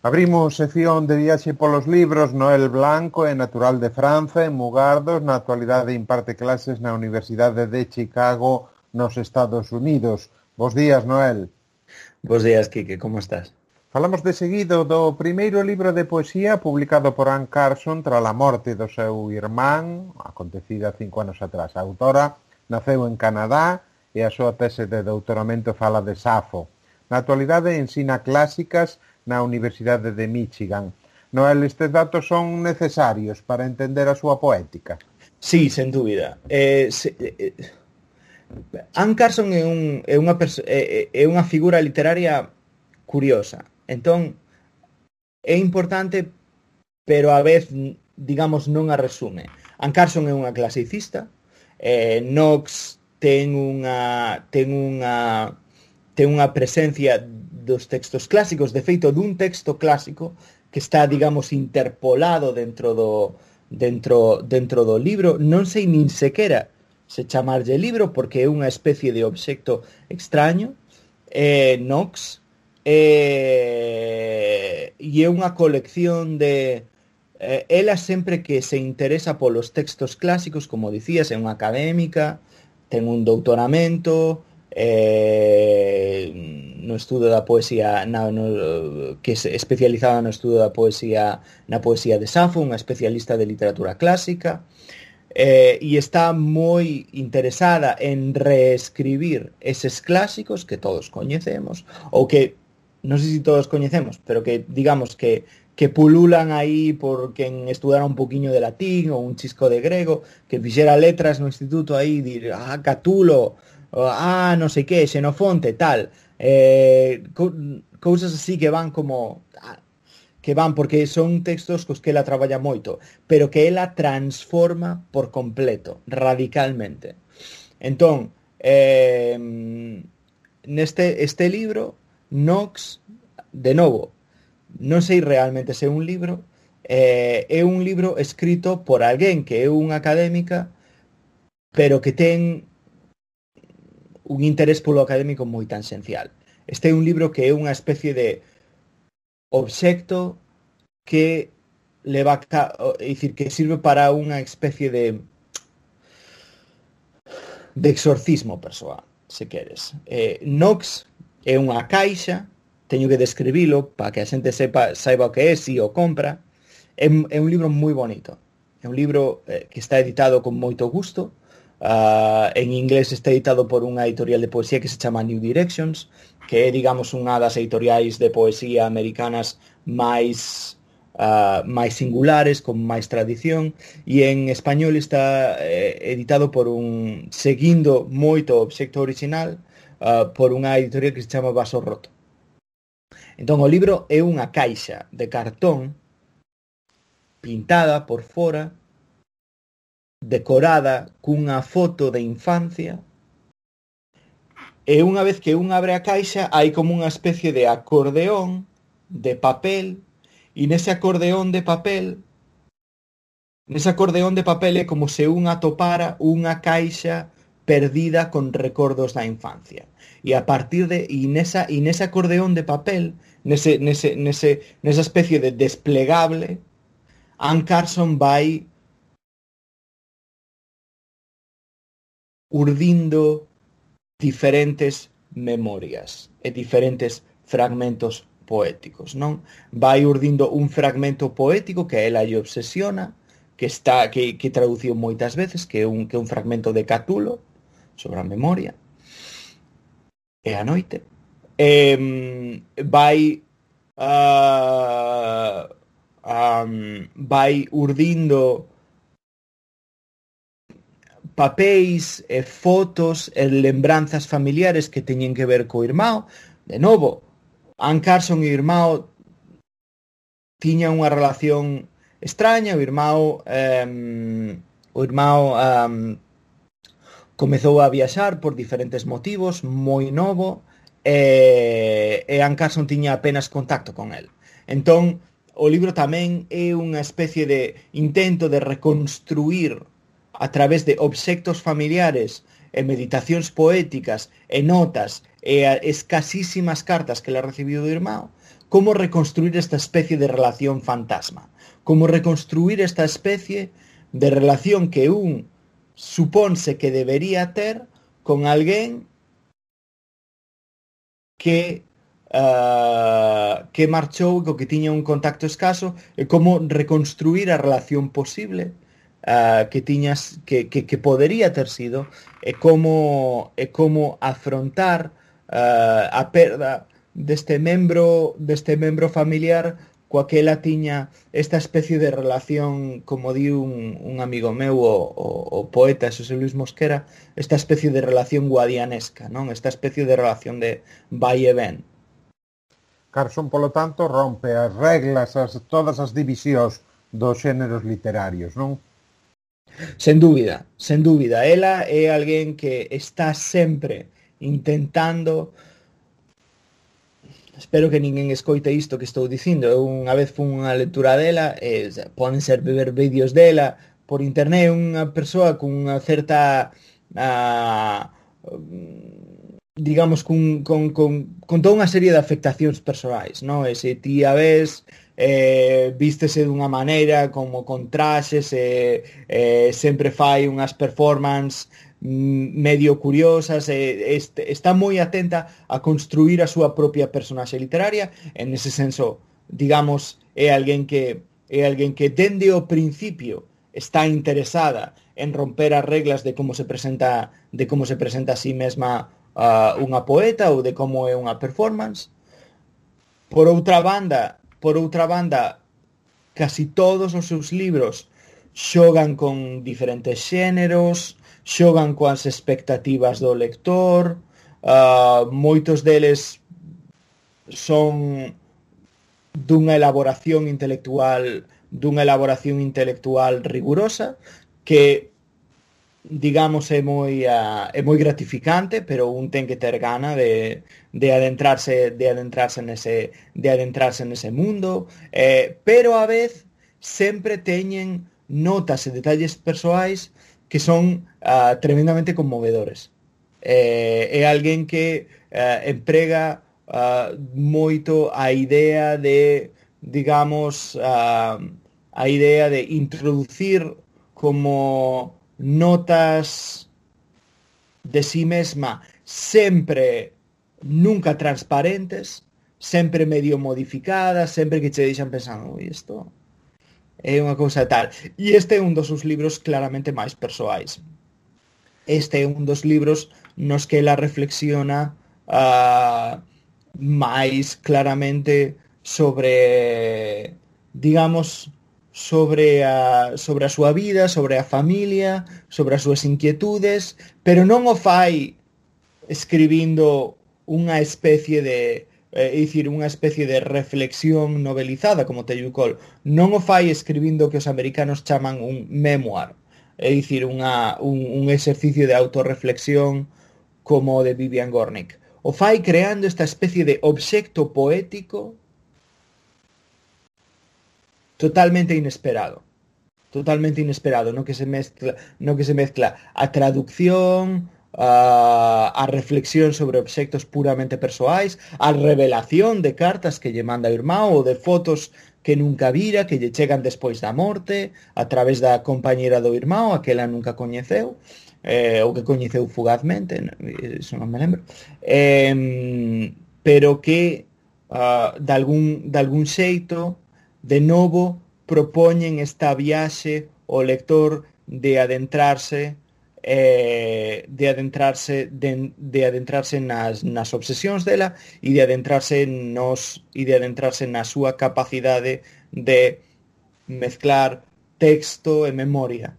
Abrimos sección de viaxe polos libros. Noel Blanco é natural de Franza, en Mugardos. Na actualidade imparte clases na Universidade de Chicago, nos Estados Unidos. Bos días, Noel. Bos días, Quique, como estás? Falamos de seguido do primeiro libro de poesía publicado por Anne Carson tras a morte do seu irmán, acontecida 5 anos atrás. A autora naceu en Canadá e a súa tese de doutoramento fala de Safo. Na actualidade ensina clásicas na Universidade de Michigan. Noel, estes datos son necesarios para entender a súa poética? Sí, sen dúbida. Anne Carson é unha figura literaria curiosa. Entón, é importante, pero a vez, digamos, non a resume. Anne Carson é unha clasicista. Knox ten unha presencia dos textos clásicos, de feito dun texto clásico que está, digamos, interpolado dentro do libro. Non sei nin sequera se chamarlle libro porque é unha especie de obxecto extraño. Knox e é unha colección de ela sempre que se interesa polos textos clásicos, como dicías, é unha académica, ten un doutoramento no estudo da poesía, que é especializada no estudo da poesía, na poesía de Safo, unha especialista de literatura clásica, e está moi interesada en reescribir eses clásicos que todos coñecemos, ou que non sei se todos coñecemos, pero que digamos que pululan aí por quen estudara un poquinho de latín ou un chisco de grego, que fixera letras no instituto aí, dir, Catulo, non sei que, Xenofonte, tal, cousas así que van como porque son textos cos que ela traballa moito, pero que ela transforma por completo, radicalmente. Entón, neste libro, Knox, de novo, non sei realmente se é un libro, é un libro escrito por alguén que é unha académica, pero que ten un interés polo académico moi tangencial. Este é un libro que é unha especie de obxecto que leva é dicir, que sirve para unha especie de exorcismo persoal, se queres. Knox é unha caixa, teño que describilo para que a xente saiba o que é, si o compra. É un libro moi bonito. É un libro que está editado con moito gusto. En inglés está editado por unha editorial de poesía que se chama New Directions, que é, digamos, unha das editoriais de poesía americanas máis singulares, con máis tradición, e en español está editado por seguindo moito o obxecto original, por unha editorial que se chama Vaso Roto. Entón, o libro é unha caixa de cartón pintada por fora, decorada cunha foto de infancia, e unha vez que un abre a caixa hai como unha especie de acordeón de papel, e nese acordeón de papel é como se un atopara unha caixa perdida con recordos da infancia. E a partir nese acordeón de papel, nesa especie de desplegable, Anne Carson vai urdindo diferentes memorias e diferentes fragmentos poéticos, non? Vai urdindo un fragmento poético que a ela lle obsesiona, que traduciu moitas veces, que é un fragmento de Catulo sobre a memoria e a noite. Vai urdindo papéis e fotos e lembranzas familiares que teñen que ver co irmão. De novo, Anne Carson e o irmão tiñan unha relación extraña. O irmão comezou a viaxar por diferentes motivos, moi novo, e Anne Carson tiña apenas contacto con el. Entón, o libro tamén é unha especie de intento de reconstruir a través de obxectos familiares e meditacións poéticas e notas e escasísimas cartas que ela recibiu do irmão, como reconstruir esta especie de relación fantasma, como reconstruir esta especie de relación que un suponse que debería ter con alguén que marchou e co que tiña un contacto escaso, e como reconstruir a relación posible que tiñas que podería ter sido, e como afrontar a perda deste membro familiar coa que ela tiña esta especie de relación, como di un amigo meu, o poeta Xosé Luis Mosquera, esta especie de relación guadianesca, non? Esta especie de relación de vai e ven. Carson, polo tanto, rompe as reglas, todas as divisións dos xéneros literarios, non? Sen dúbida, sen dúbida. Ela é alguén que está sempre intentando. Espero que ninguén escoite isto que estou dicindo. Eu unha vez fun unha lectura dela, poden ser ver vídeos dela por internet, unha persoa con unha certa digamos con toda unha serie de afectacións persoais, non? E se ti a ves, vístese dunha maneira como con traxes, sempre fai unhas performances medio curiosas, está moi atenta a construir a súa propia personaxe literaria. En ese senso, digamos, é alguén que dende o principio está interesada en romper as reglas de como se presenta a sí mesma unha poeta, ou de como é unha performance. Por outra banda, casi todos os seus libros xogan con diferentes xéneros, xogan coas expectativas do lector, moitos deles son dunha elaboración intelectual rigurosa, que digamos é moi gratificante, pero un ten que ter gana de adentrarse nese mundo, pero a vez sempre teñen notas e detalles persoais que son tremendamente conmovedores. É alguén que emprega moito a idea de, digamos, a idea de introducir como notas de sí mesma sempre nunca transparentes, sempre medio modificadas, sempre que che deixan pensando, isto é unha cousa tal. E este é un dos seus libros claramente máis persoais. Este é un dos libros nos que ela reflexiona máis claramente sobre, digamos, sobre a súa vida, sobre a familia, sobre as súas inquietudes, pero non o fai escribindo unha especie de unha especie de reflexión novelizada como Teju Cole. Non o fai escribindo o que os americanos chaman un memoir, é dicir, un exercicio de autorreflexión como o de Vivian Gornick. O fai creando esta especie de obxecto poético totalmente inesperado, no que se mezcla a traducción, a reflexión sobre obxectos puramente persoais, a revelación de cartas que lle manda o irmão, ou de fotos que nunca vira, que lle chegan despois da morte, a través da compañera do irmão, a que ela nunca coñeceu, ou que coñeceu fugazmente, iso non me lembro, pero que de algún xeito, de novo, propoñen esta viaxe ao lector de adentrarse nas obsesións dela e de adentrarse na súa capacidade de mezclar texto e memoria.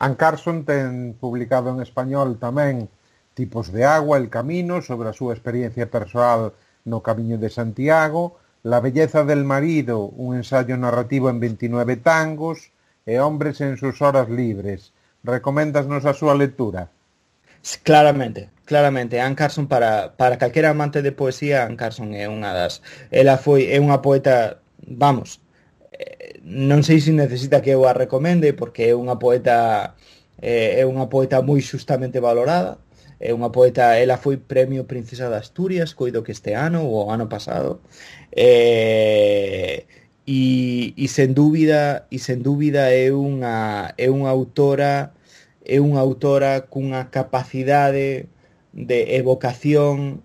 Anne Carson ten publicado en español tamén Tipos de agua, El camino, sobre a súa experiencia persoal no Camiño de Santiago, La belleza del marido, un ensayo narrativo en 29 tangos, e Hombres en sus horas libres. Recoméndasnos a súa lectura? Claramente. Anne Carson, para calquera amante de poesía, Anne Carson é unha das... Ela é unha poeta, vamos, non sei se necesita que eu a recomende, porque é unha poeta moi xustamente valorada. é unha poeta, ela foi premio Princesa de Asturias, coido que este ano ou o ano pasado. Sen dúbida é unha autora cunha capacidade de evocación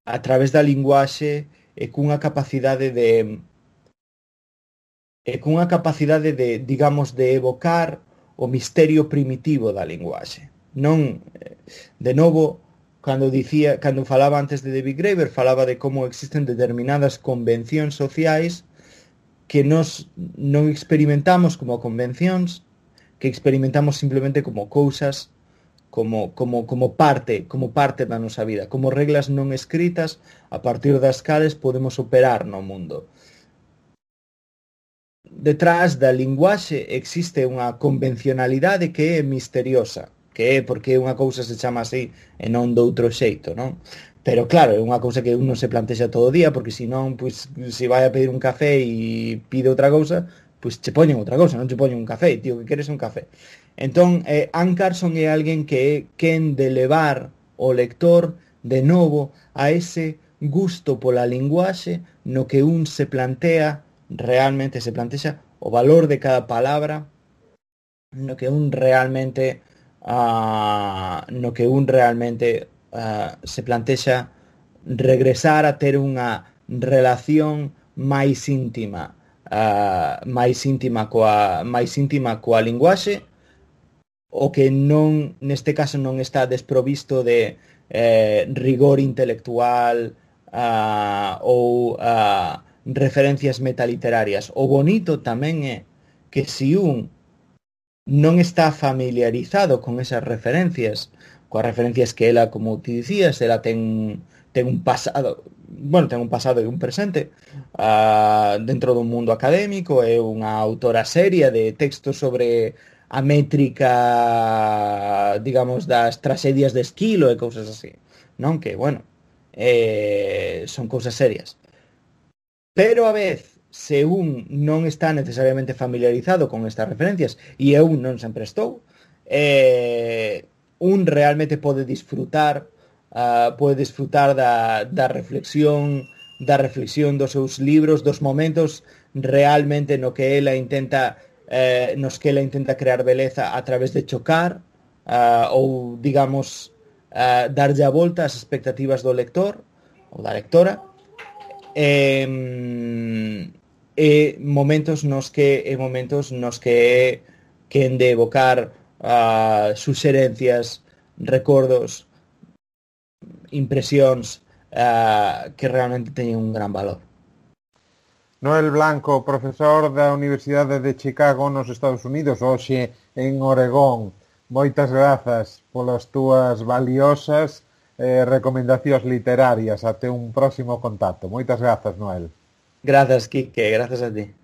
a través da linguaxe e cunha capacidade de, digamos, de evocar o misterio primitivo da linguaxe. Non, de novo, cando falaba antes de David Graeber, falaba de como existen determinadas convencións sociais que nos non experimentamos como convencións, que experimentamos simplemente como cousas, como parte da nosa vida, como reglas non escritas a partir das cales podemos operar no mundo. Detrás da linguaxe existe unha convencionalidade que é misteriosa, que é porque unha cousa se chama así e non doutro xeito, non? Pero claro, é unha cousa que uno se plantexa todo o día, porque senón, pois, se vai a pedir un café e pide outra cousa, pois che poñen outra cousa, non che poñen un café, tío, que queres un café. Entón, Anne Carson é alguén que é quen de levar o lector de novo a ese gusto pola linguaxe no que un se plantea, realmente se plantexa o valor de cada palabra, no que un realmente se plantexa regresar a ter unha relación máis íntima coa linguaxe, o que non, neste caso, non está desprovisto de rigor intelectual ou referencias metaliterarias. O bonito tamén é que se un non está familiarizado con esas referencias, coas referencias que ela, como ti dicías, ela ten un pasado, ten un pasado e un presente dentro do mundo académico, é unha autora seria de textos sobre a métrica, digamos, das tragedias de Esquilo e cousas así, non? Que, son cousas serias. Pero a vez, se un non está necesariamente familiarizado con estas referencias, e eu non sempre estou, un realmente pode disfrutar da reflexión dos seus libros, dos momentos realmente nos que ela intenta crear beleza a través de chocar ou, digamos, darlle a volta ás expectativas do lector ou da lectora, momentos nos que quen de evocar suxerencias, recordos, impresións que realmente teñen un gran valor. Noel Blanco, profesor da Universidade de Chicago nos Estados Unidos, hoxe en Oregón. Moitas grazas polas túas valiosas recomendacións literarias. Até un próximo contacto. Moitas grazas, Noel. Grazas, Quique. Grazas a ti.